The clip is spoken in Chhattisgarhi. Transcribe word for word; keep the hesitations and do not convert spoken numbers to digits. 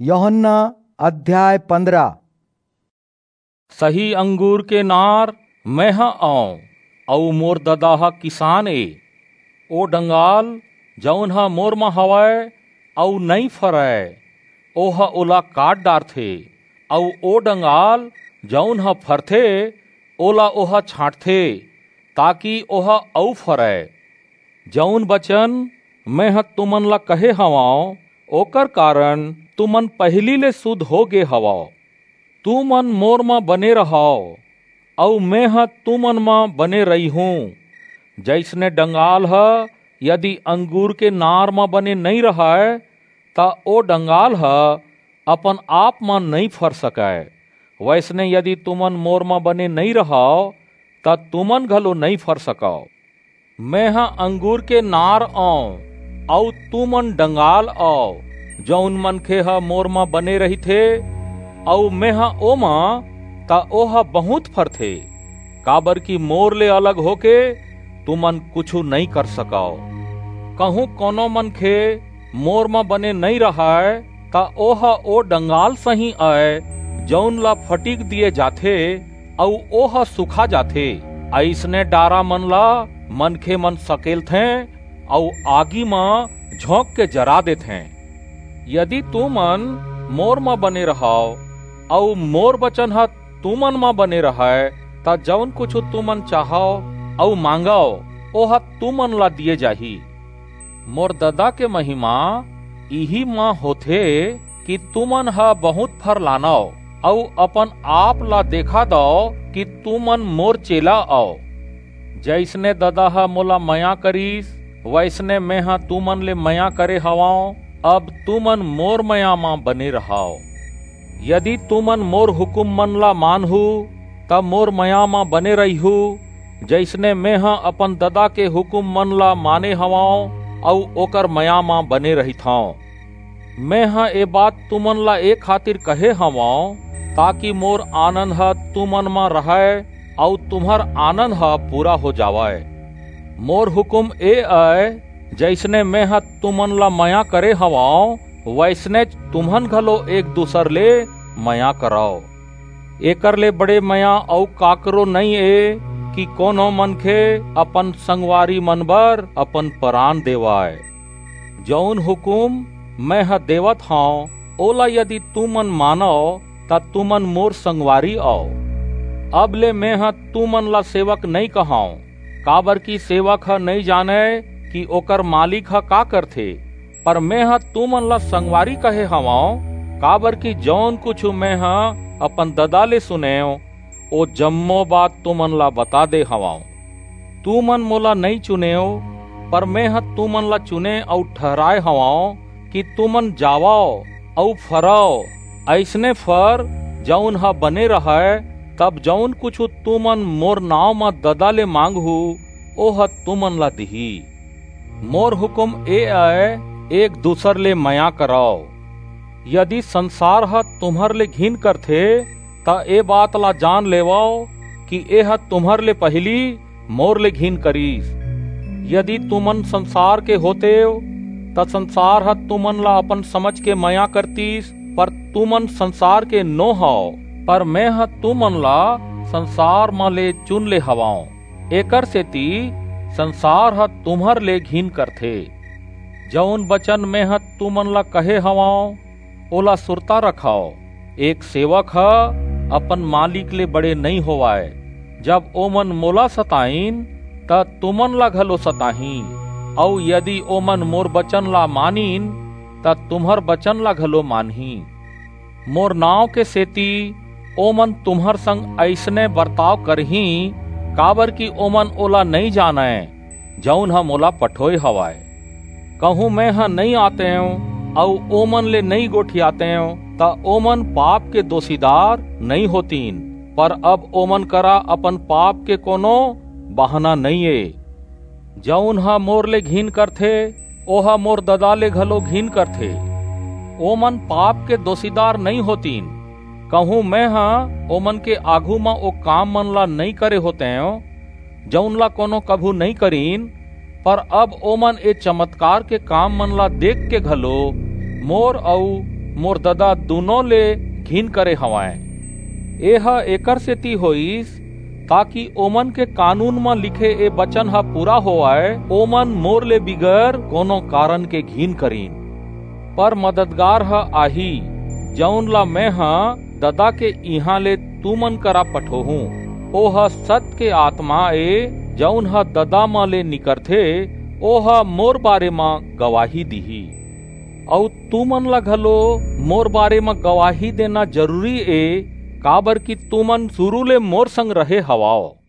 यूहन्ना अध्याय पन्द्रह। सही अंगूर के नार मेंह अंव, अऊ मोर ददा ह किसान ए। ओ डंगाल, जऊन ह मोर म हवय अऊ नइं फरय, ओह ओला काट डारथे, अऊ ओ डंगाल, जऊन ह फरथे, ओला ओह छांटथे, ताकि ओह अऊ फरय। जऊन बचन मेंह तुमन ला कहे हवंव, ओकर कारन तुमन पहिली ले सुध हो गे हवव। तुमन मोर म बने रहव, अऊ मेंह तुमन म बने रहिहूं। जइसने डंगाल ह यदि अंगूर के नार म बने नइं रहय, त ओ डंगाल ह अपन आप म नइं फर सकय। वइसने यदि तुमन मोर म बने नइं रहव, त तुमन घलो नइं फर सकव। मेंह अंगूर के नार अंव, अऊ तुमन डंगाल अव। जऊन मनखे ह मोर म बने रहिथे, अऊ मेंह ओमा, त ओह बहुंत फरथे, काबरकि मोर ले अलग होके तुमन कुछू नइं कर सकव। कहूं कोनो मनखे मोर म बने नइं रहय, त ओह ओ डंगाल सहीं अय, जऊन ला फटिक दिये जाथे, अऊ ओह सुखा जाथे। अइसने डारा मन ला मनखे मन सकेलथें, अऊ आगी म झोंक के जरा देथें। यदि तुमन मोर म बने रहव, अऊ मोर बचन ह तुमन म बने रहय, त जऊन कुछू तुमन चाहव अऊ मांगव, ओह तुमन ला दिये जाही। मोर ददा के महिमा इही म होथे कि तुमन ह बहुंत फर लानव, अऊ अपन आप ला देखा दव कि तुमन मोर चेला अव। जइसने ददा ह मोला मया करिस, वइसने मेंह तुमन ले मया करे हवंव। अब तुमन मोर मया म बने रहव। यदि तुमन मोर हुकूम मन ला मानहू, त मोर मया म बने रहिहू, जइसने मेंह अपन ददा के हुकूम मन ला माने हवंव, अऊ ओकर मया म बने रहिथंव। मेंह ए बात तुमन ला ए खातिर कहे हवंव, ताकि मोर आनंद ह तुमन म रहय, अऊ तुम्हर आनंद ह पूरा हो जावय। मोर हुकूम ए अय, जइसने मेंह तुमन ला मया करे हवंव, वइसनेच तुमन घलो एक दूसर ले मया करव। एकर ले बड़े मया अऊ काकरो नइं ए कि कोनो मनखे अपन संगवारी मन बर अपन परान देवय। जऊन हुकूम मेंह देवत हंव, ओला यदि तुमन मानव, त तुमन मोर संगवारी अव। अब ले मेंह तुमन ला सेवक नइं कहंव, काबरकि सेवक ह नइं जानय कि ओकर मालिक ह का करथे। पर मेंह तुमन ला संगवारी कहे हवंव, काबरकि जऊन कुछू मेंह अपन ददा ले सुनेंव, ओ जम्मो बात तुमन ला बता दे हवंव। तुमन मोला नइं चुनेव, पर मेंह तुमन ला चुने अऊ ठहराय हवंव कि तुमन जावव अऊ फरव, अइसने फर, जऊन ह बने रहय, तब जऊन कुछू तुमन मोर नांव म ददा ले मांगहू, ओह तुमन ला दिही। मोर हुकूम ए अय, एक दूसर ले मया करव। यदि संसार ह तुम्हर ले घिन करथे, त ए बात ला जान लेवव कि एह तुम्हर ले पहिली मोर ले घिन करिस। यदि तुमन संसार के होतेव, त संसार ह तुमन ला अपन समझ के मया करतिस, पर तुमन संसार के नो हव, पर मेंह तुमन ला संसार म ले चुन ले हवंव। एकर सेति संसार ह तुम्हर ले घिन करथे। जऊन बचन मेंह तुमन ला कहे हवंव, ओला सुरता रखव। एक सेवक ह अपन मालिक ले बड़े नइं होवय। जब ओमन मोला सताइन, त तुमन ला घलो सताहीं, अऊ यदि ओमन मोर बचन ला मानिन, त तुम्हर बचन ला घलो मानहीं। मोर नांव के सेति ओमन तुम्हर संग अइसने बरताव करहीं, काबरकि ओमन ओला नइं जानय, जऊन ह मोला पठोय हवय। कहूं मेंह नइं आतेंव अऊ ओमन ले नइं गोठियातेंव, त ओमन पाप के दोसीदार नइं होतिन, पर अब ओमन करा अपन पाप के कोनो बहाना नइं ए। जऊन ह मोर ले घिन करथे, ओह मोर ददा ले घलो घिन करथे। ओमन पाप के दोसीदार नइं होतिन। कहूं मेंह ओमन के आघू म ओ काम मन ला नइं करे होतेंव, जऊन ला कोनो कभू नइं करिन, पर अब ओमन ए चमत्कार के काम मन ला देख के घलो मोर अऊ मोर ददा दूनों ले घिन करे हवंय। एह एकर सेती होईस, ताकि ओमन के कानून म लिखे ए बचन ह पूरा होवय, "ओमन मोर ले बिगर कोनो कारन के घिन करिन।" पर मददगार ह आही, जऊन ला मेंह ददा के इहां ले तुमन करा पठोहूं। ओह सत के आतमा ए, जऊन ह ददा म ले निकरथे, ओह मोर बारे म गवाही दिही। अऊ तुमन ला घलो मोर बारे म गवाही देना जरूरी ए, काबरकि तुमन सुरू ले मोर संग रहे हवव।